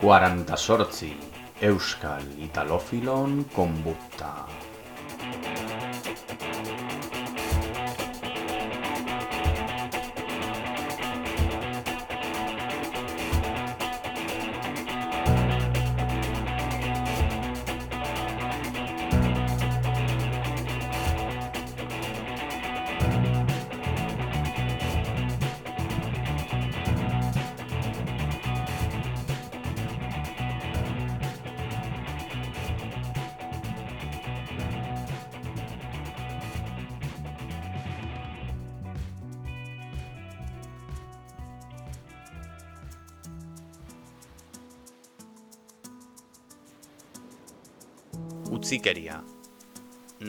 48 Euskal Italofilon konbutta. Utzikeria.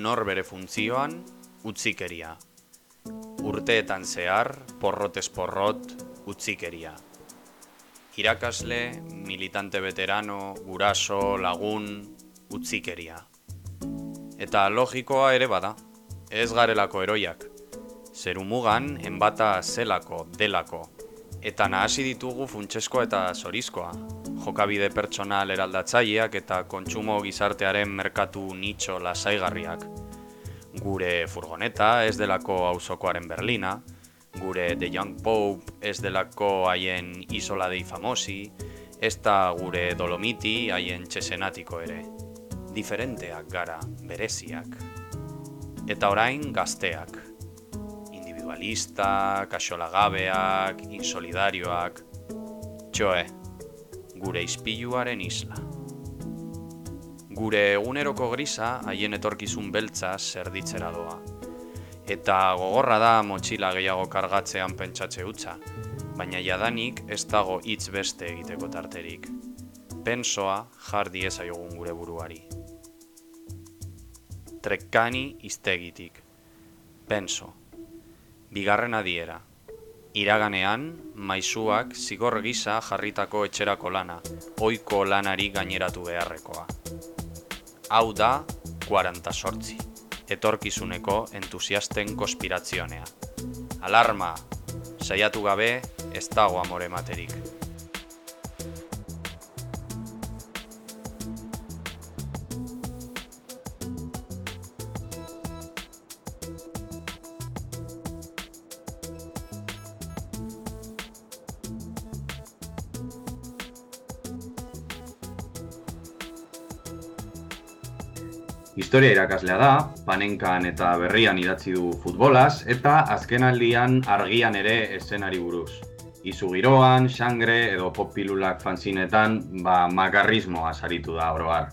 Nor bere funtzioan, utzikeria. Urteetan zehar, porrotez porrot, utzikeria. Irakasle, militante veterano, guraso, lagun, utzikeria. Eta logikoa ere bada, ez garelako heroiak. Zerumugan, enbata zelako, delako. Eta nahasi ditugu funtsesko eta zorizkoa. Jokabide pertsonal eraldatzaileak eta kontsumo gizartearen merkatu nitxo lasaigarriak. Gure furgoneta ez delako auzokoaren Berlina, gure The Young Pope ez delako haien Isola dei Famosi, ez da gure Dolomiti haien Cesenatiko ere. Diferenteak gara, bereziak. Eta orain gazteak. Individualistak, axolagabeak, insolidarioak. Txoe. Gure ispiluaren isla. Gure eguneroko grisa haien etorkizun beltza zerditzera doa. Eta gogorra da motxila gehiago kargatzean pentsatze hutsa, baina jadanik ez dago hitz beste egiteko tarterik. Pensoa jar diezaiogun gure buruari. Trekkani hiztegitik. Penso. Bigarren adiera. Iraganean, maisuak zigor gisa jarritako etxerako lana, ohiko lanari gaineratu beharrekoa. Hau da 48, etorkizuneko entusiasten konspirazionea. Alarma, saiatu gabe ez dago amore materik. Historia irakaslea da, Panenkan eta Berrian idatzi du futbolaz, eta azkenaldian argian ere eszenari buruz. Izu giroan, xangre edo pop-pilulak fanzinetan, makarrismoa saritu da oro har.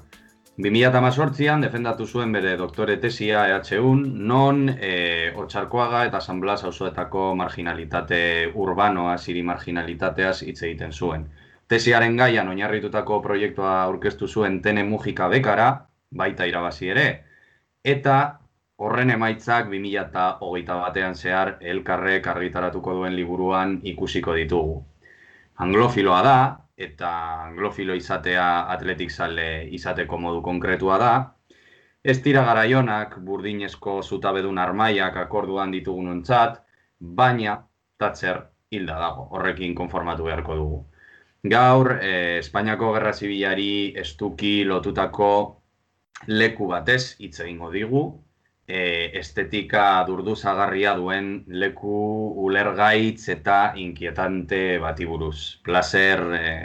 2018an defendatu zuen bere doktore tesia EHUn, non Otxarkoaga eta San Blas auzoetako marginalitate urbanoaz, hiri marginalitateaz hitz egiten zuen. Tesiaren gaian oinarritutako proiektua aurkeztu zuen Tene Mujika bekara, baita irabazi ere, eta horren emaitzak 2021an zehar Elkarrek argitaratuko duen liburuan ikusiko ditugu. Anglofiloa da, eta anglofilo izatea atletik zale izateko modu konkretua da, ez dira garaionak burdinezko zutabedun armaiak akorduan ditugunontzat, baina Thatcher hilda dago, horrekin konformatu beharko dugu. Gaur, Espainiako Gerra Zibilari estuki lotutako leku batez hitz egingo digu, estetika durduzagarria duen leku ulergaitz eta inkietante bati buruz. Plazer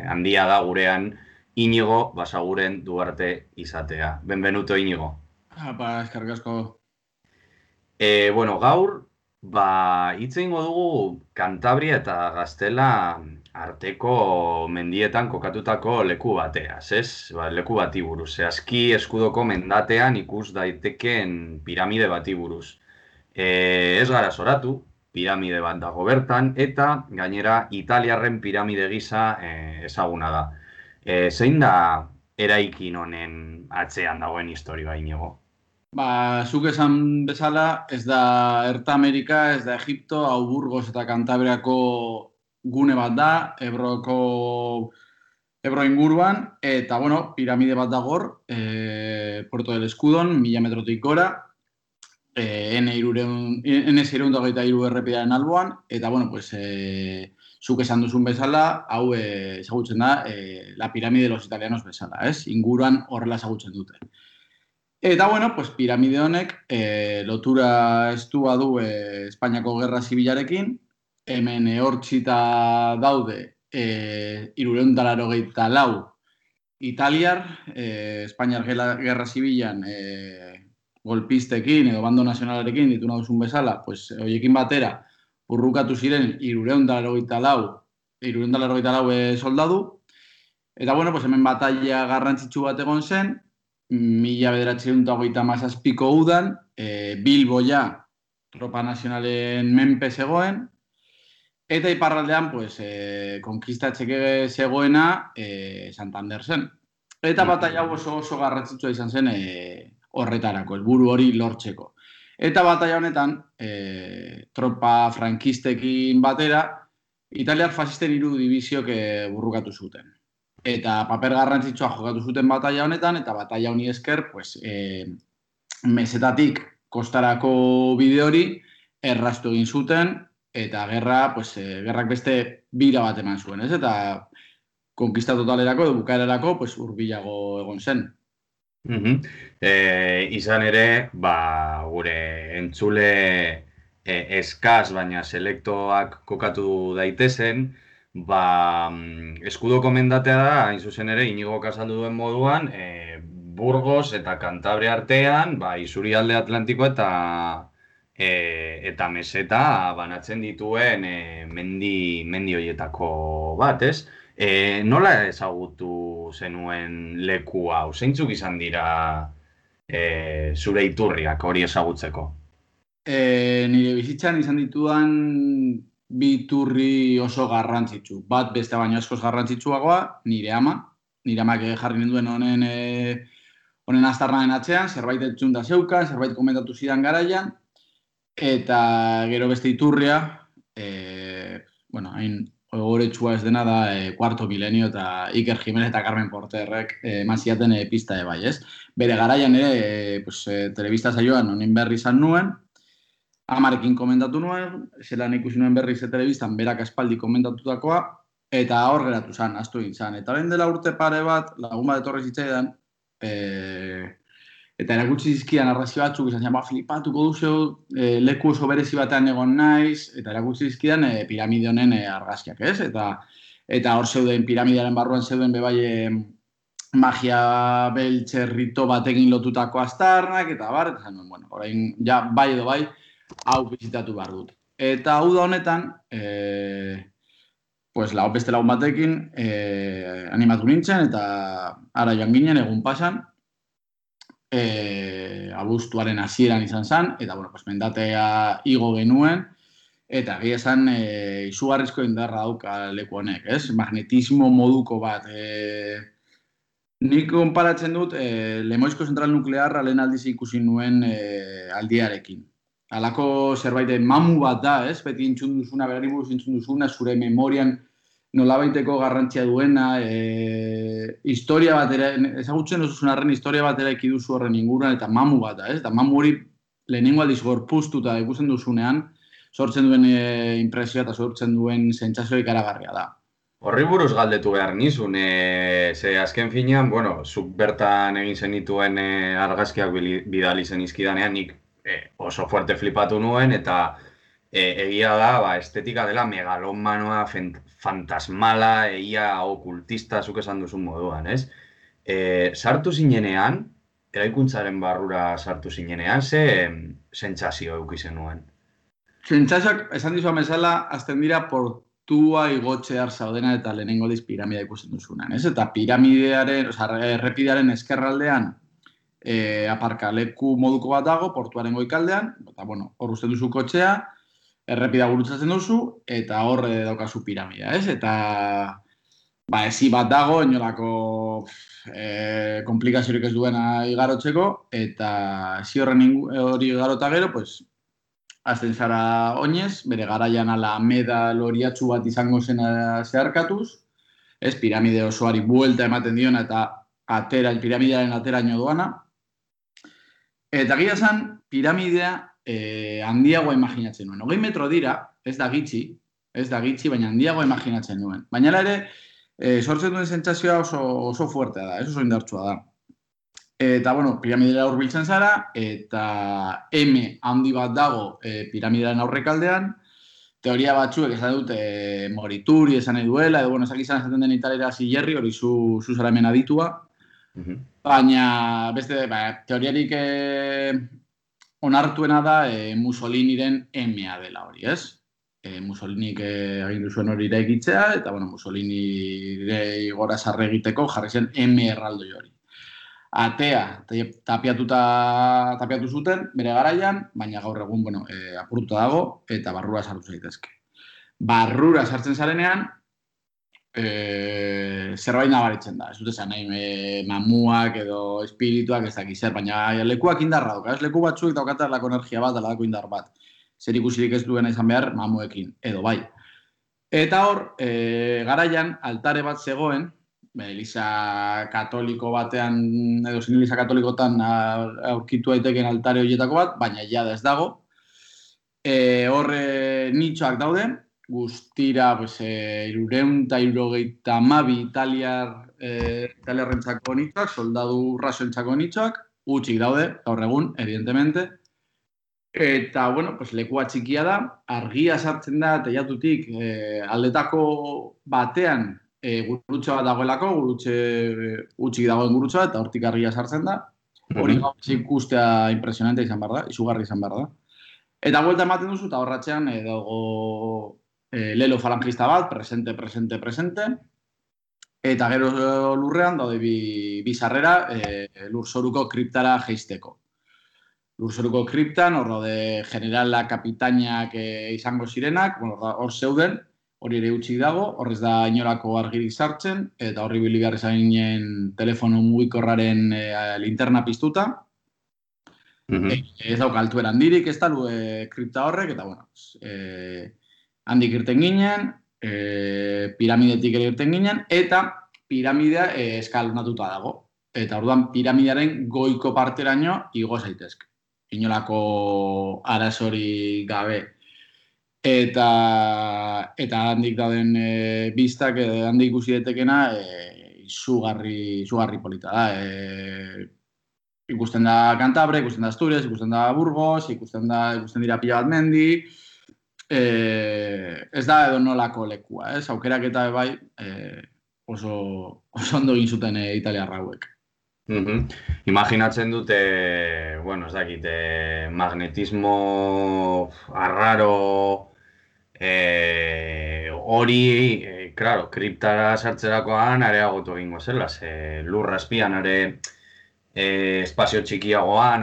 handia da gurean Iñigo Basaguren Duarte izatea. Benvenuto, Iñigo. Eskerrik asko. Gaur, hitz egingo dugu Kantabria eta Gaztela arteko mendietan kokatutako leku bateaz, ez? Leku bati buruz. Zehazki Eskudoko mendatean ikus daiteken piramide bati buruz. Ez gara zoratu, piramide bat dago bertan, eta gainera Italiarren piramide gisa ezaguna da. Zein da eraikin honen atzean dagoen historia, Iñigo? Zuk esan bezala, ez da Erta Amerika, ez da Egipto, hau Burgos eta Kantabriako gune bat da, Ebro inguruan, eta, piramide bat dagor, Puerto del Escudon, 1000 metrotik gora, N623 errepidearen alboan, eta, bueno, pues, zuk esan duzun bezala, hau ezagutzen da, la pirámide de los italianos bezala, ez? Inguruan horrela ezagutzen dute. Eta, bueno, pues, piramide honek lotura estua du Espainiako Gerra Zibilarekin, hemen hortzita daude 384 italiar, Espainiar Gerra Zibilan golpistekin edo bando nazionalarekin ditu nahuzun bezala, pues, hoiekin batera urrukatu ziren 384 soldadu, eta, bueno, pues, hemen batalla garrantzitsu bat egon zen, 1937ko udan, Bilbo ja tropa nazionalen menpe zegoen, eta iparraldean, pues, konkistatzeke zegoena Santander zen. Eta batalla oso garrantzitsua izan zen horretarako, helburu hori lortzeko. Eta batalla honetan, tropa frankistekin batera, italiar fasisten 3 dibiziok burrukatu zuten. Eta paper garrantzitsua jokatu zuten batalla honetan, eta batalla honi esker, pues, mesetatik kostarako bide hori erraztu egin zuten, eta gerrak beste bira bat eman zuen, ez? Eta konkista totalerako, edo bukaerarako, pues, hurbilago egon zen. Izan ere, gure entzule eskaz, baina selektoak kokatu daitezen, eskudo komendatea da, hain zuzen ere, Iñigok azaldu duen moduan, Burgos eta Kantabria artean, isurialde Atlantiko eta meseta banatzen dituen mendi horietako bat, ez? Nola ezagutu zenuen leku hau? Zeintzuk izan dira zure iturriak hori ezagutzeko? Nire bizitzan izan ditudan bi iturri oso garrantzitsu. Bat beste baino askoz garrantzitsuagoa, nire amak jarri ninduen honen aztarnaren atzean, zerbait entzun da zeukan, zerbait komentatu zidan garaian, eta gero beste iturria, hain ogoretsua ez dena da Cuarto Milenio eta Iker Jimenez eta Carmen Porterrek eman ziaten pista bai, ez? Bere garaian ere, telebista saioan honen berri izan nuen, amarekin komentatu nuen, zelan ikusi nuen berri telebistan berak aspaldi komentatutakoa, eta hor geratu zan, astu egin zan. Eta lehen dela urte pare bat, lagun bat etorri zitzaidan, eta erakutsi zizkidan arrazio batzuk, izan zian, flipatuko duzu, leku oso berezi batean egon naiz, eta erakutsi zizkidan piramide honen argazkiak, ez? Eta hor zeuden, piramidearen barruan zeuden bebai magia beltzerrito batekin lotutako aztarnak, eta bar, eta zen, bueno, orain, ja, bai edo bai, hau bizitatu behar dut. Eta hau da honetan, beste lagun batekin animatu nintzen, eta ara joan ginen, egun pasan, abuztuaren hasieran izan zen, eta, mendatea igo genuen, eta egia esan izugarrizko indarra dauka leku honek, ez? Magnetismo moduko bat. Nik konparatzen dut Lemoizko zentral nuklearra lehen aldiz ikusi nuen aldiarekin. Halako zerbait mamu bat da, ez? Beti entzun duzuna, berari buruz entzun duzuna, zure memorian nolabaiteko garrantzia duena, historia batera, ezagutzen duzun arren historia batera ekiduzu horren inguruan, eta mamu bat da, ez? Eta mamu hori lehenengo aldiz gorpuztuta ikusten duzunean, sortzen duen impresioa eta sortzen duen sentsazio ikaragarria da. Horri buruz galdetu behar nizun, ze azken finean, zuk bertan egin zenituen argazkiak bidali zenizkidanean, nik oso fuerte flipatu nuen, eta egia da, estetika dela megalomanoa, fantasmala, egia okultista, zuk esan duzun moduan, ez? Sartu zinenean, eraikuntzaren barrura sartu zinenean, ze sentsazio eukizen nuen? Sentsazioak, esan dizuan bezala, azten dira portua igotxear zaudena eta lehenengo diz piramidea ikusten duzunan, ez? Eta piramidearen, errepidearen eskerraldean aparkaleku moduko bat dago, portuaren goikaldean, eta, hor uste duzu kotxea, errepida gurutzatzen duzu, eta hor daukazu piramidea, ez? Eta, ezi bat dago, inolako komplikaziorik ez duena igarotzeko, eta ezi horren hori igarota gero, azten zara oinez, bere garaian ala meda loriatzu bat izango zena zeharkatuz, ez, piramide osoari buelta ematen diona eta piramidearen ateraino doana, Eta gira esan, piramidea handiagoa imaginatzen nuen. 20 metro dira, ez da gitxi, baina handiagoa imaginatzen nuen. Baina ere, sortzen duen sentsazioa oso fuertea da, oso indartsua da. Eta, bueno, piramidera hurbiltzen zara, eta M handi bat dago piramidearen aurrekaldean, teoria batzuek esan dute morituri esan nahi duela, edo, bueno, esaten den italera zilerri, hori zu zara hemen aditua, baina, beste, teoriarik onartuena da Mussoliniren M-a dela hori, ez? Mussolinik agindu zuen hori eraikitzea, eta, bueno, Mussolini gora sarre egiteko jarri zen M erraldoi hori. Atea tapiatu zuten bere garaian, baina gaur egun, bueno, apurtuta dago eta barrura sartu zaitezke. Barrura sartzen zarenean, zerbait nabaritzen da. Ez dut esan nahi mamuak edo espirituak ez dakiz zer, baina lekuak indarra dauka. Ez leku batzuk daukata lako energia bat, dalako indar bat. Zer ikusirik ez duena izan behar mamuekin, edo bai. Eta hor, garaian altare bat zegoen, Eliza katoliko batean, edo zen Eliza katolikotan aurkitu daiteken altare horietako bat, baina jada ez dago. Horre nitxoak daude, guztira 372 italiarrentzako nitxoak, soldadu rasoentzako nitxoak, utxik daude, gaur egun, evidentemente. Eta, bueno, lekua txikia da, argia sartzen da, teilatutik aldetako batean, gurutxo bat dagoelako, gurutxe utxik dagoen gurutxoa, eta hortik argia sartzen da. Hori ikustea impresionante izan behar da, izugarri izan behar da. Eta buelta ematen duzu, eta horratxean dago lelo falangista bat, presente. Eta gero lurrean daude bi sarrera lurzoruko kriptara jeisteko. Lurzoruko kriptan, hor daude generala, kapitainak izango zirenak, hor zeuden, hori ere utxik dago, horrez da inolako argirik sartzen, eta horri bili behar zainen telefono mugikorraren linterna piztuta. Ez dauka altuera handirik, ez da kripta horrek, eta bueno, handik irten ginen, piramidetik ere irten ginen, eta piramidea eskalonatuta dago. Eta orduan piramidearen goiko parteraino igo zaitezke. Inolako arazorik gabe. Eta handik dauden biztak, handik ikusi datekena, izugarri polita da. Ikusten da Cantabria, ikusten da Asturias, ikusten da Burgos, ikusten dira pila bat mendi. Ez da edo nolako lekua, aukerak eta bai oso ondo egin zuten italiarra hauek. Imaginatzen dute, bueno, ez dakit, magnetismo arraro hori, claro, kriptara sartzerakoan areagotu egingo zela, lurra azpian espazio txikiagoan,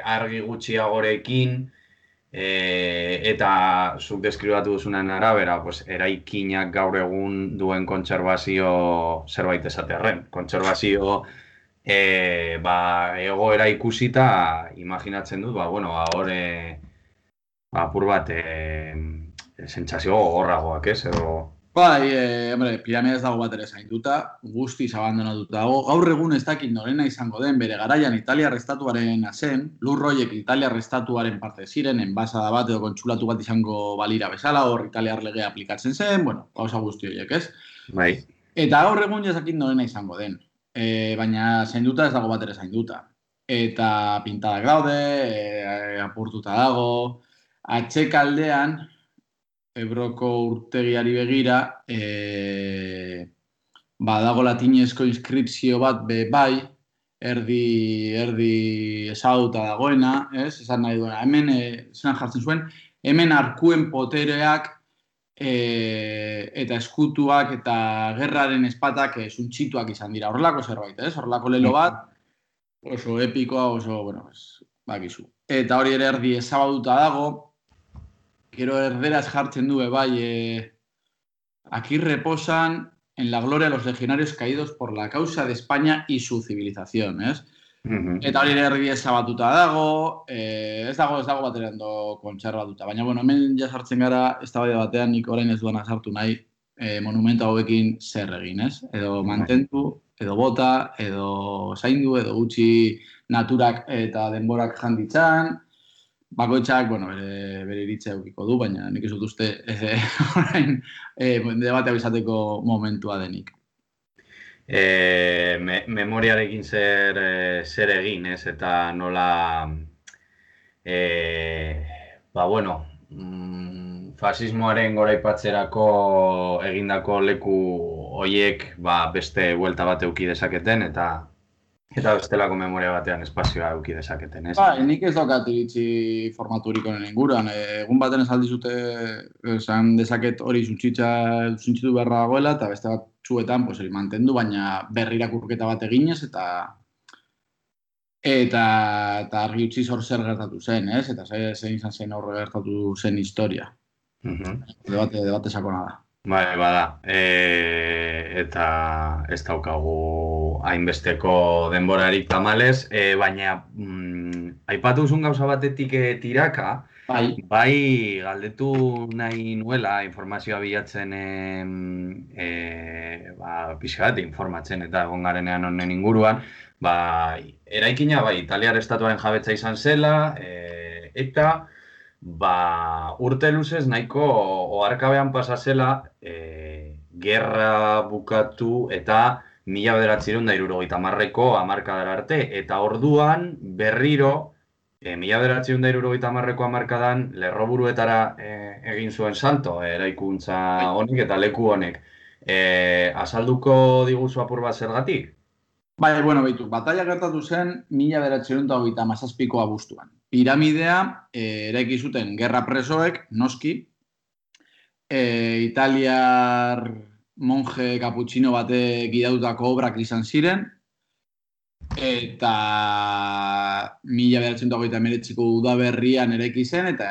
argi gutxiagorekin, eta zuk deskribatu duzunen arabera, eraikinak gaur egun duen kontserbazio zerbait esatearren. Kontserbazio egoera ikusita, imaginatzen dut, hor apur bat sentsazio gogorragoak, ez? Bai, piramidea ez dago bat ere zainduta, guztiz abandonatuta dago. Gaur egun ez dakit norena izango den, bere garaian Italiar estatuaren zen, lurroiek Italiar estatuaren parte ziren, enbasada bat edo kontsulatu bat izango balira bezala, hor Italiar legea aplikatzen zen, gauza guzti horiek, ez? Bai. Eta gaur egun ez dakit norena izango den, baina zainduta ez dago bat ere zainduta. Eta pintadak daude, apurtuta dago, atxekaldean, Ebroko urtegiari begira, badago latinezko inskripzio bat bai, erdi ezaguta dagoena, ez? Esan nahi duena, hemen, zelan jartzen zuen, hemen arkuen potereak eta eskutuak eta gerraren espatak suntxituak izan dira. Horrelako zerbait, ez? Horrelako lelo bat, oso epikoa, oso, bakizu. Eta hori ere erdi ezaguta dago, gero erderaz jartzen du, bai, aquí reposan en la gloria los legionarios caídos por la causa de España y su civilización, ez? Eta hori erdi ezabatuta dago, ez dago baterando kontserbatuta. Baina, hemen ja sartzen gara, eztabaida batean nik orain ez duena sartu nahi, monumento hauekin zer egin, ez? Edo mantendu, edo bota, edo zaindu, edo gutxi naturak eta denborak janditzan. Bakoitzak, bere iritzia edukiko du, baina nik ez dut uste orain debatea izateko momentua denik. Memoriarekin zer egin, ez? Eta nola... fasismoaren goraipatzerako egindako leku hoiek beste buelta bat eduki dezaketen eta bestelako memoria batean espazioa eduki dezaketen, ez? Nik ez daukat iritzi formaturik honen inguruan. Egun baten ez aldizute esan dezaket hori zuntzitu beharra dagoela eta beste batzuetan hori mantendu, baina berri irakurketa bat eginez eta argi utzi zer gertatu zen, ez? Eta zein izan zen horre gertatu zen historia. Debate sakona da. Bai, bada. Eta ez daukagu hainbesteko denborarik tamalez, baina aipatu duzun gauza batetik tiraka, bai galdetu nahi nuela informazioa bilatzen pixka bat informatzen eta egon garenean honen inguruan, eraikina Italiar estatuaren jabetza izan zela, eta urte luzez nahiko oharkabean pasa zela gerra bukatu eta 1970ko hamarkadara arte, eta orduan berriro 1970ko hamarkadan lerroburuetara egin zuen salto eraikuntza honek eta leku honek. Azalduko diguzu apur bat zergatik? Batalla gertatu zen 1937ko abuztuan. Piramidea eraiki zuten gerra presoek, noski, italiar monje kaputxino batek gidatutako obrak izan ziren, eta 1939ko udaberrian eraiki zen, eta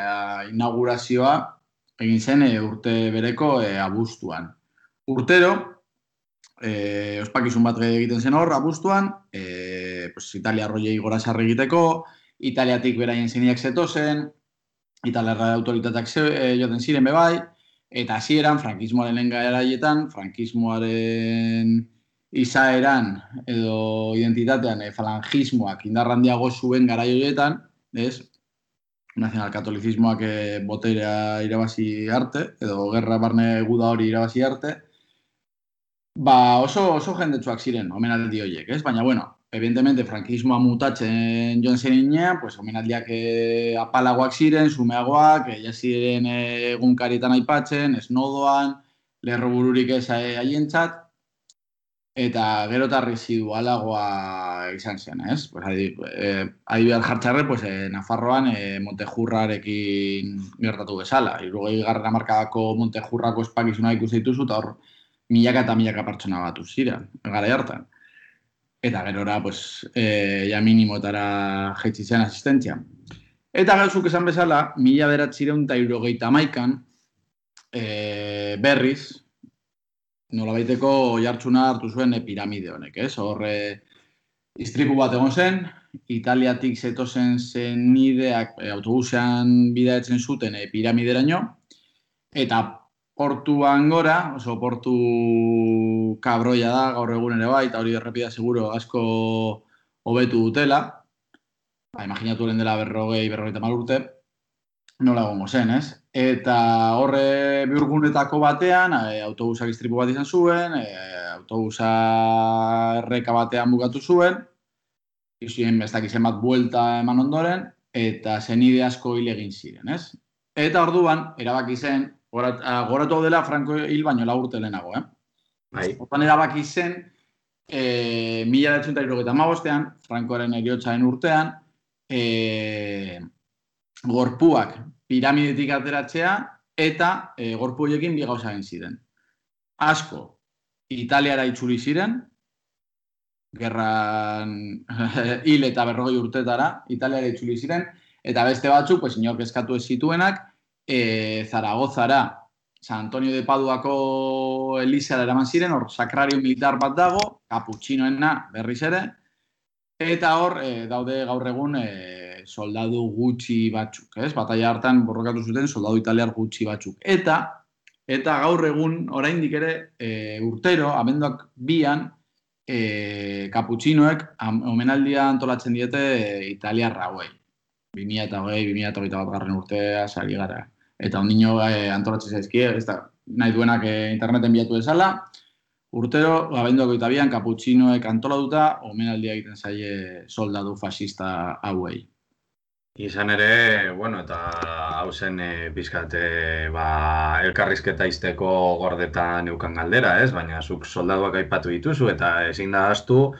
inaugurazioa egin zen urte bereko abuztuan. Urtero, ospakizun bat egiten zen hor, abuztuan, Italia roiei gora sarri egiteko, Italiatik beraien zeniak zetozen, italiarra autoritateak joten ziren bebai, eta hasieran frankismoaren lehen garaietan, frankismoaren izaeran edo identitatean falangismoak indarrandiago zuen garai horietan, nazionalkatolizismoak boterea irabazi arte, edo gerra barne guda hori irabazi arte, oso jendetsuak ziren omenaldi horiek, ez? Baina, evidentemente, frankismoa mutatzen joan zirenean, omenaldiak apalagoak ziren, sumeagoak, ziren egunkarietan aipatzen, esnodoan, lerrobururik ez haientzat, eta gero eta residualagoa izan zen, ez? Adibidez jartxarre, Nafarroan Montejurrarekin gertatu bezala. 60. hamarkadako Montejurrako ospakizuna ikusi dituzu, eta hor milaka eta milaka pertsona batu ziren, garai hartan. Eta gerora, ja minimotara jaitsi zen asistentzia. Eta gauzuk esan bezala, 1971an berriz, nolabaiteko jartzuna hartu zuen piramide honek, ez? Horre, istripu bat egon zen, Italiatik zetozen zenideak autobusean bidaetzen zuten piramideraino, eta portuan gora, oso portu kabroia da, gaur egun ere bai, eta hori errepida seguro asko hobetu dutela. Imaginatu horren dela 40-50 urte, nola egongo zen, ez? Eta horre bihurgunetako batean, autobusak istripu bat izan zuen, autobusa erreka batean bukatu zuen, izuen bestak izen bat buelta eman ondoren, eta zenide asko hil egin ziren, ez? Eta orduan, erabaki zen, goratu hau dela Franco hil baino 4 urte lehenago, Hortan erabaki zen, 1975an, Francoaren heriotzaren urtean, gorpuak piramidetik ateratzea eta gorpu horiekin bi gauza egin ziren. Asko, Italiara itzuli ziren, gerran hil eta 40 urtetara, Italiara itzuli ziren, eta beste batzuk, inork eskatu ez zituenak, Zaragozara, San Antonio de Paduako Elizara eraman ziren, hor sakrario militar bat dago, kaputxinoena berriz ere, eta hor daude gaur egun soldadu gutxi batzuk, ez? Bataila hartan borrokatu zuten soldadu italiar gutxi batzuk. Eta gaur egun oraindik ere urtero, abenduak 2an, kaputxinoek omenaldia antolatzen diete italiarra hauei. 2020-2021 urtea sari gara. Eta ondino antolatzen zaizkie, ez da, nahi duenak interneten bilatu dezala, urtero, abenduak 22an kaputxinoek antolatuta, omenaldia egiten zaie soldadu fascista hauei. Izan ere, bueno, eta hau zen pizkat elkarrizketa izteko gordetan eukan galdera, ez? Baina zuk soldaduak aipatu dituzu eta ezin da ahaztu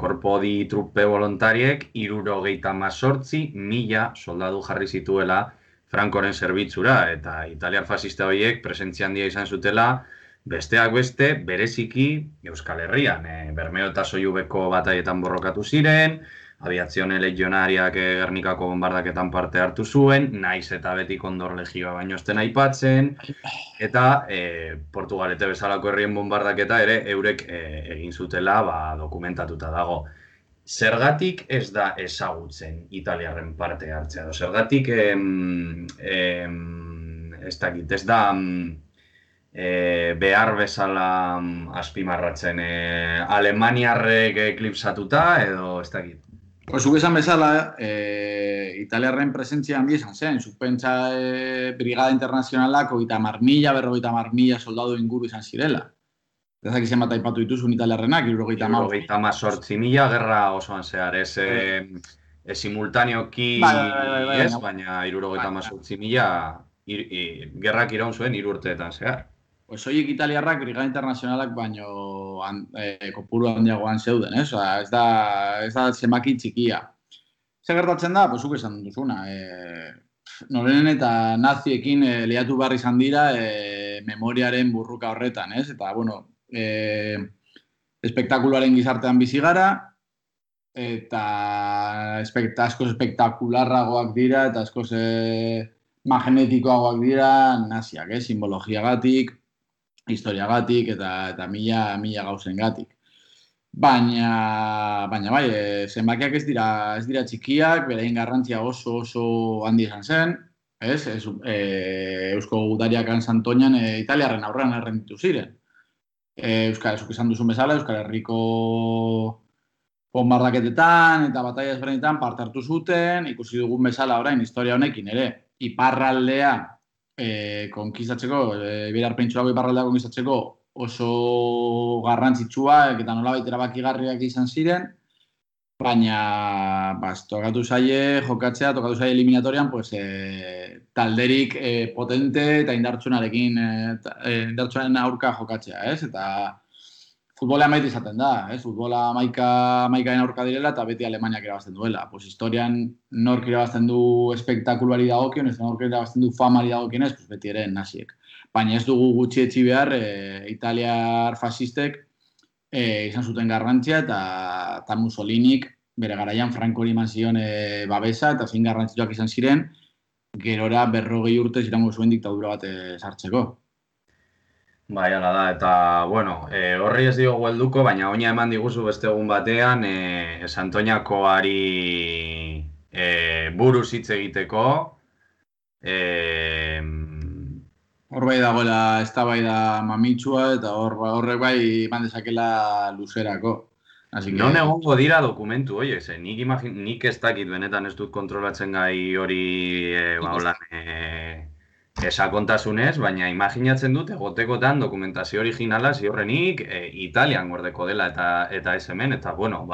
korpo di trupe volontariek 78.000 soldadu jarri zituela Francoren zerbitzura eta italiar fascista horiek presentzia handia izan zutela besteak beste bereziki Euskal Herrian. Bermeo eta Sollubeko bataietan borrokatu ziren, Aviazione Legionariak Gernikako bombardaketan parte hartu zuen, naiz eta beti Kondor Legioa baino esten aipatzen, eta Portugalete bezalako herrien bombardaketa ere eurek egin zutela dokumentatuta dago. Zergatik ez da ezagutzen italiarren parte hartzea, edo zergatik ez da behar bezala azpimarratzen alemaniarrek eklipsatuta edo ez dakit. Zuk esan bezala, italiarren presentzia handi esan zen, zuk pentsa Brigada Internazionalak 30.000 soldadu inguru izan zirela. Ez dakit zenbat aipatu dituzun italiarrenak, 78.000 gerra osoan zehar, ez simultaneoki ez, baina 78.000 gerrak iraun zuen 3 urteetan zehar. Soilik italiarrak Brigada Internazionalak baino kopuru handiagoan zeuden, ez? Ez da zenbaki txikia. Zer gertatzen da? Zuk esan duzuna. Norenen eta naziekin lehiatu behar izan dira memoriaren burruka horretan, ez? Eta, bueno, espektakuloaren gizartean bizi gara, eta askoz espektakularragoak dira, eta askoz magnetikoagoak dira naziak, simbologiagatik, historiagatik eta mila gauzengatik. Baina bai, zenbakiak ez dira txikiak, beraien garrantzia oso handi izan zen, ez? Eusko gudariak Santoñan italiarren aurrean errenditu ziren. Zuk esan duzun bezala, Euskal Herriko bombardaketetan eta bataia ezberdinetan parte hartu zuten, ikusi dugun bezala orain historia honekin ere, iparraldea konkistatzeko, Iberiar Penintsulako iparraldea konkistatzeko oso garrantzitsua eta nolabait erabakigarriak izan ziren, baina tokatu zaie jokatzea, tokatu zaie eliminatorian talderik potente eta indartsuaren aurka jokatzea, ez? Eta futbola maite izaten da, ez? Futbola maikaen aurka direla eta beti Alemaniak irabazten duela. Historian nork irabazten du espektakuluari dagokionez, nork irabazten du famari dagokionez, beti ere naziek. Baina ez dugu gutxietsi behar italiar fascistek izan zuten garrantzia eta Mussolinik bere garaian Frankori eman zion babesa eta zein garrantzituak izan ziren gerora 40 urtez iraungo zuen diktadura bat sartzeko. Bai, hala da, eta, bueno, horri ez diogu helduko, baina oina eman diguzu beste egun batean Santoñakoari buruz hitz egiteko. Hor bai dagoela eztabaida mamitsua eta horrek bai eman dezakela luzerako. Non egongo dira dokumentu horiek, nik ez dakit benetan ez dut kontrolatzen gai hori esakontasunez, baina imaginatzen dut egotekotan dokumentazio originala ziurrenik Italian gordeko dela eta ez hemen, eta bueno,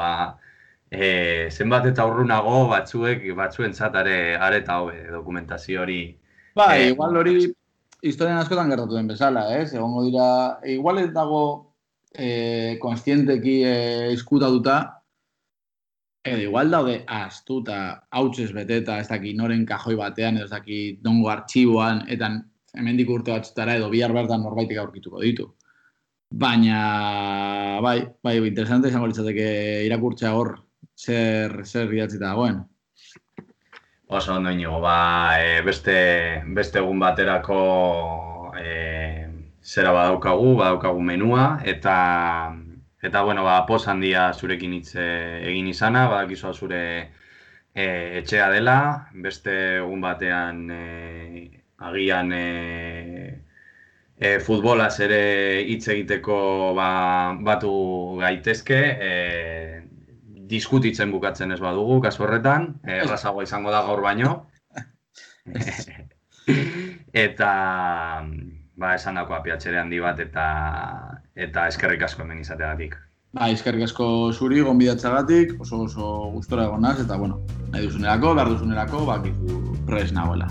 zenbat eta urrunago batzuentzat are eta hobe dokumentazio hori. Igual hori historian askotan gertatu den bezala, ez? Egongo dira, igual ez dago konstienteki izkutatuta, edo igual daude astuta, hautsez beteta, ez daki noren kajoi batean, ez daki dongo artxiboan, eta hemendik urte batzutara edo bihar bertan norbaitek aurkituko ditu. Baina, bai, interesante izango litzateke irakurtzea hor zer idatzita dagoen. Oso ondo inigo, beste egun baterako zera badaukagu menua, eta bueno, poz handia zurekin hitz egin izana, badakizu zure etxea dela, beste egun batean agian Futbolaz ere hitz egiteko batu gaitezke, diskutitzen bukatzen ez badugu, kasu horretan, errazagoa izango da gaur baino. Eta, esandakoa piacere handi bat eta eskerrik asko hemen izateagatik. Eskerrik asko zuri, gonbidatzagatik, oso gustora egon naz, eta, nahi duzunerako, behar duzunerako, bakizu prest nagoela.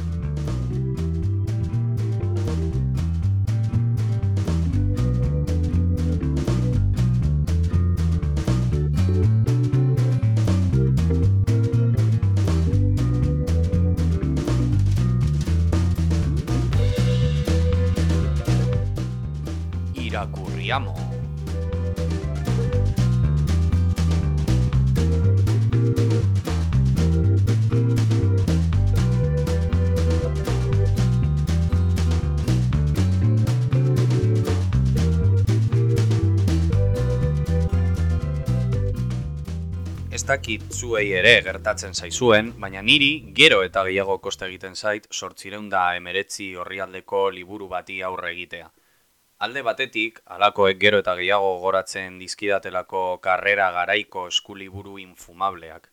Irakurriamo. Ez dakit zuei ere gertatzen zaizuen, baina niri gero eta gehiago kosta egiten zait 819 orrialdeko liburu bati aurre egitea. Alde batetik, halakoek gero eta gehiago goratzen dizkidatelako karrera garaiko eskuliburu infumableak.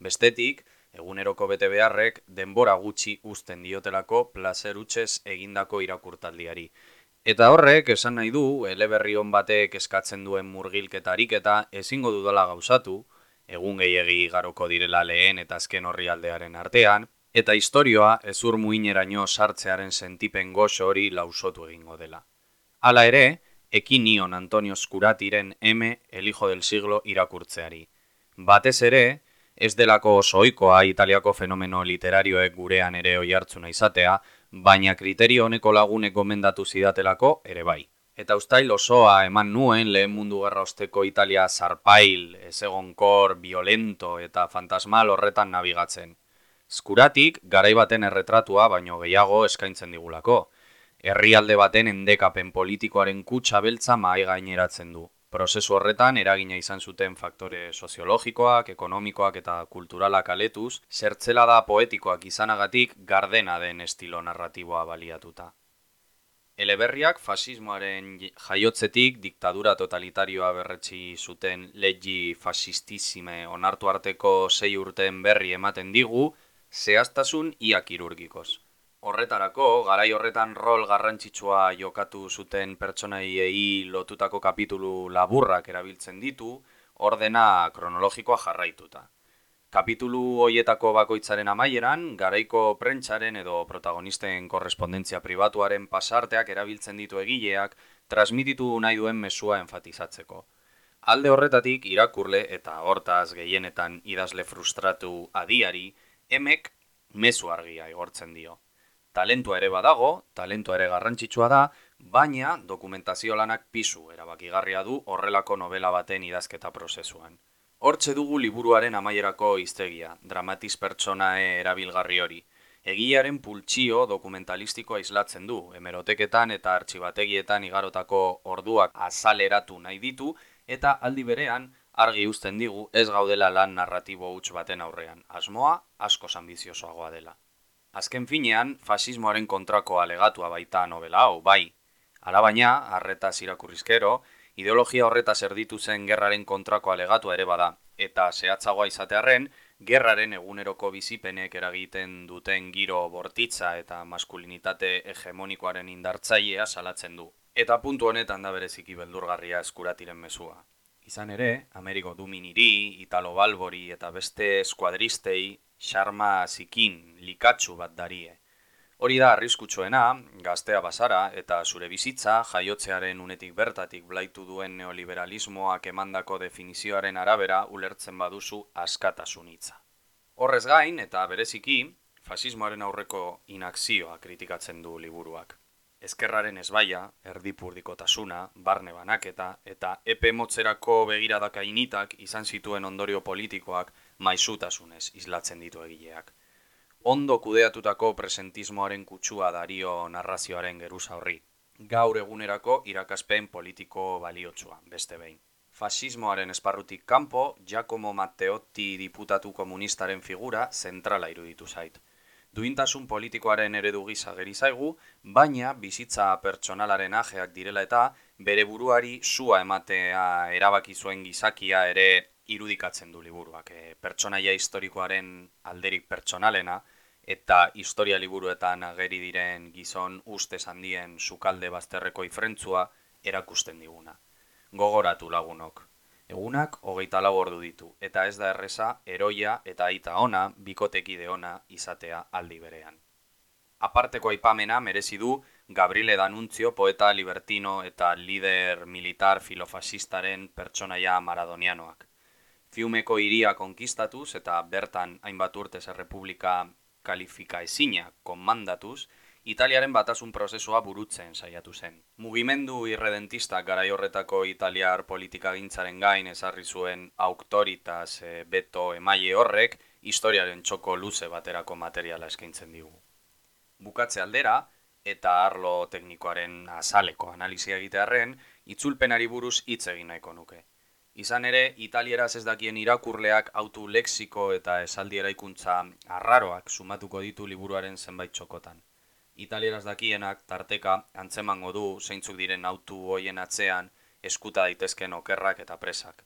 Bestetik, eguneroko bete beharrek denbora gutxi uzten diotelako plazer hutsez egindako irakurtaldiari. Eta horrek esan nahi du, eleberri on batek eskatzen duen murgilketa ariketa ezingo dudala gauzatu, egun gehiegi igaroko direla lehen eta azken orrialdearen artean, eta istorioa hezur muineraino sartzearen sentipen goxo hori lausotu egingo dela. Hala ere, ekin nion Antonio Skuratiren M, El hijo del siglo irakurtzeari. Batez ere, ez delako oso ohikoa Italiako fenomeno literarioek gurean ere oihartzuna izatea, baina kriterio honeko lagunek gomendatu zidatelako ere bai. Eta uztail osoa eman nuen lehen mundu gerra osteko Italia zarpail, ezegonkor, violento eta fantasmal horretan nabigatzen. Skuratik garai baten erretratua baino gehiago eskaintzen digulako. Herrialde baten endekapen politikoaren kutsa beltza mahai gaineratzen du. Prozesu horretan eragina izan zuten faktore soziologikoak, ekonomikoak eta kulturalak aletuz, zertzelada poetikoak izanagatik gardena den estilo narratiboa baliatuta. Eleberriak fasismoaren jaiotzetik diktadura totalitarioa berretsi zuten leggi fasistissime onartu arteko 6 urteen berri ematen digu, zehaztasun ia kirurgikoz. Horretarako, garai horretan rol garrantzitsua jokatu zuten pertsonaiei lotutako kapitulu laburrak erabiltzen ditu, ordena kronologikoa jarraituta. Kapitulu hoietako bakoitzaren amaieran, garaiko prentsaren edo protagonisten korrespondentzia pribatuaren pasarteak erabiltzen ditu egileak, transmititu nahi duen mezua enfatizatzeko. Alde horretatik irakurle eta hortaz gehienetan idazle frustratu adiari, emek mezu argia igortzen dio. Talentua ere badago, talentua ere garrantzitsua da, baina dokumentazio lanak pisu erabakigarria du horrelako novela baten idazketa prozesuan. Hortxe dugu liburuaren amaierako hiztegia, dramatiz pertsonae erabilgarri hori. Egilearen pultsio dokumentalistikoa islatzen du, hemeroteketan eta artxibategietan igarotako orduak azaleratu nahi ditu, eta aldi berean argi uzten digu ez gaudela lan narratibo huts baten aurrean, asmoa askoz ambiziosoagoa dela. Azken finean, fasismoaren kontrako alegatua baita novela hau, bai. Alabaina, arretaz irakurrizkero, ideologia horretaz erditu zen gerraren kontrako alegatua ere bada, eta zehatzagoa izatearren, gerraren eguneroko bizipenek eragiten duten giro bortitza eta maskulinitate hegemonikoaren indartzailea salatzen du. Eta puntu honetan da bereziki beldurgarria Skuratiren mezua. Izan ere, Amerigo Duminiri, Italo Balbori eta beste eskuadristei xarma zikin, likatsu bat darie. Hori da arriskutsuena, gaztea bazara eta zure bizitza jaiotzearen unetik bertatik blaitu duen neoliberalismoak emandako definizioaren arabera ulertzen baduzu askatasun hitza. Horrez gain eta bereziki, fasismoaren aurreko inakzioa kritikatzen du liburuak. Ezkerraren ezbaia, erdipurdikotasuna, barne banaketa eta epe motzerako begiradaka initak izan zituen ondorio politikoak maisutasunez islatzen ditu egileak. Ondo kudeatutako presentismoaren kutsua dario narrazioaren geruza horri. Gaur egunerako irakaspen politiko baliotsua, beste behin. Fasismoaren esparrutik kanpo, Giacomo Matteotti diputatu komunistaren figura zentrala iruditu zait. Duintasun politikoaren eredu gisa geri zaigu, baina bizitza pertsonalaren ajeak direla eta bere buruari sua ematea erabaki zuen gizakia ere irudikatzen du liburuak. Pertsonaia historikoaren alderik pertsonalena eta historia liburuetan ageri diren gizon ustez handien sukalde bazterreko ifrentzua erakusten diguna. Gogoratu lagunok. Egunak 24 ordu ditu, eta ez da erreza heroia eta aita ona, bikotekide ona izatea aldi berean. Aparteko aipamena merezi du Gabriele D'Annunzio poeta libertino eta lider militar filofasistaren pertsonaia maradonianoak. Fiumeko hiria konkistatuz eta bertan hainbat urtez errepublika kalifika ezina konmandatuz, Italiaren batasun prozesua burutzen saiatu zen. Mugimendu irredentistak garai horretako italiar politikagintzaren gain ezarri zuen autoritas beto emaile horrek historiaren txoko luze baterako materiala eskaintzen digu. Bukatze aldera eta arlo teknikoaren azaleko analizia egitearren, itzulpenari buruz hitz egin nahiko nuke. Izan ere, italieraz ez dakien irakurleak autu lexiko eta esaldi eraikuntza arraroak sumatuko ditu liburuaren zenbait txokotan. Italieraz dakienak tarteka antzemango du zeintzuk diren autu hoien atzean eskuta daitezken okerrak eta presak.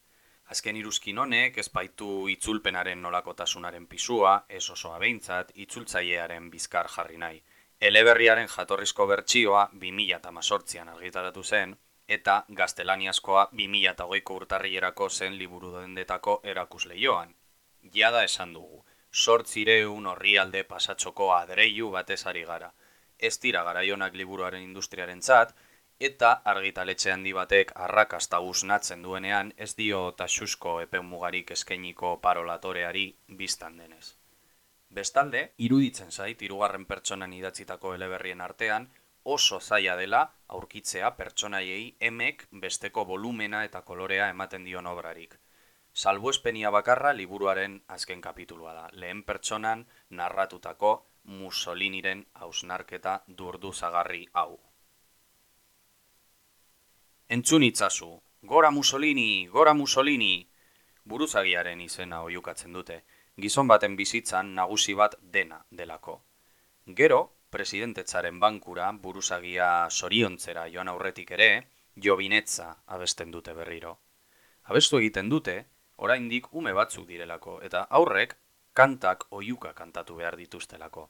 Azken iruzkin honek ez baitu itzulpenaren nolakotasunaren pisua, ez osoa behintzat, itzultzailearen bizkar jarri nahi. Eleberriaren jatorrizko bertsioa 2018an argitaratu zen, eta gaztelaniazkoa 2020ko urtarrilerako zen liburu dendetako erakusleioan. Jada esan dugu, 800 orrialde pasatxoko adreilu batez ari gara. Ez dira garaionak liburuaren industriarentzat, eta argitaletxe handi batek arrakasta usnatzen duenean ez dio taxusko epe mugarik eskainiko parolatoreari biztan denez. Bestalde, iruditzen zait, 3. pertsonan idatzitako eleberrien artean, oso zaila dela aurkitzea pertsonaiei emek besteko volumena eta kolorea ematen dion obrarik. Salbuespenia bakarra liburuaren azken kapitulua da, lehen pertsonan narratutako Mussoliniren hausnarketa durduzagarri hau. Entzun itzazu, gora Mussolini, gora Mussolini! Buruzagiaren izena oihukatzen dute, gizon baten bizitzan nagusi bat dena delako. Gero, presidentetzaren bankura buruzagia zoriontzera joan aurretik ere, jobinetza abesten dute berriro. Abestu egiten dute, oraindik ume batzuk direlako, eta aurrek kantak oihuka kantatu behar dituztelako.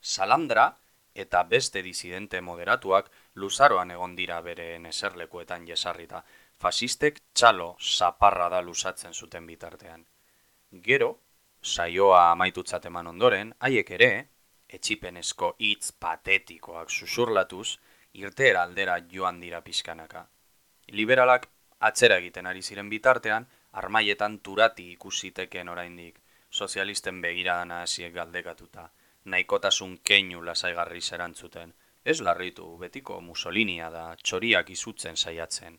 Salandra eta beste disidente moderatuak luzaroan egon dira bereen eserlekuetan jesarrita, fasistek txalo zaparra da luzatzen zuten bitartean. Gero, saioa amaitutzat eman ondoren, haiek ere, etxipenezko hitz patetikoak susurlatuz, irteera aldera joan dira pixkanaka. Liberalak atzera egiten ari ziren bitartean, armaietan turati ikusiteken oraindik, sozialisten begiradana hasiek galdekatuta, nahikotasun keinu lasaigarri erantzuten. Ez larritu, betiko Mussolinia da, txoriak izutzen saiatzen.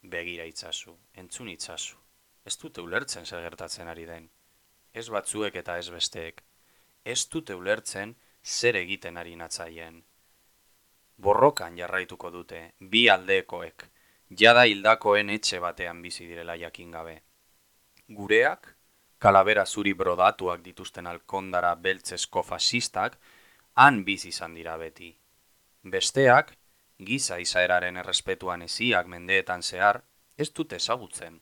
Begira itzazu, entzun itzazu. Ez dute ulertzen zer gertatzen ari den. Ez batzuek eta ez besteek. Ez dute ulertzen zer egiten ari natzaien. Borrokan jarraituko dute, bi aldekoek, jada hildakoen etxe batean bizi direla jakin gabe. Gureak, kalabera zuri brodatuak dituzten alkondara beltzesko fasistak, han bizi izan dira beti. Besteak, giza izaeraren errespetuan eziak mendeetan zehar, ez dute ezagutzen.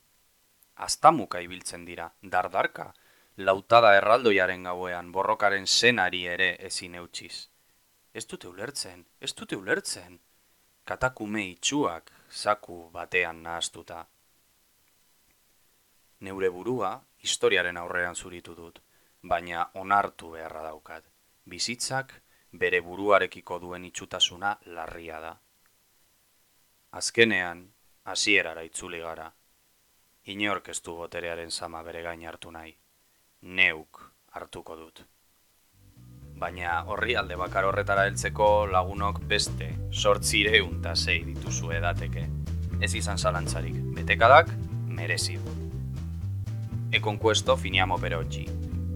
Aztamuka ibiltzen dira, dardarka, lautada erraldoiaren gauean borrokaren zenari ere ezin eutsiz. Ez dute ulertzen. Katakume itxuak, zaku batean nahaztuta. Neure burua historiaren aurrean zuritu dut, baina onartu beharra daukat. Bizitzak bere buruarekiko duen itxutasuna larria da. Azkenean, hasierara itzuli gara. Inork ez du boterearen zama bere gain hartu nahi. Neuk hartuko dut. Baina horri alde bakar horretara heltzeko lagunok beste 806 dituzu edateke. Ez izan zalantzarik, betekadak merezi du. E con questo finiamo per oggi.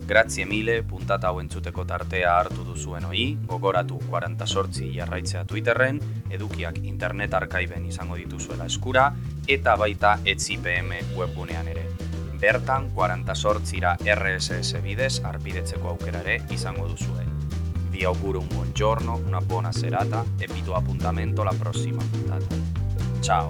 Grazie mille puntata hau entzuteko tartea hartu duzuen hoi, gogoratu 48 jarraitzea Twitterren, edukiak internet arkaiben izango dituzuela eskura, eta baita ETZIPM webgunean ere. Bertan 48 RSS bidez arpidetzeko aukerare izango duzue. Vi auguro un buon giorno, una buona serata e vi do appuntamento alla prossima puntata. Ciao,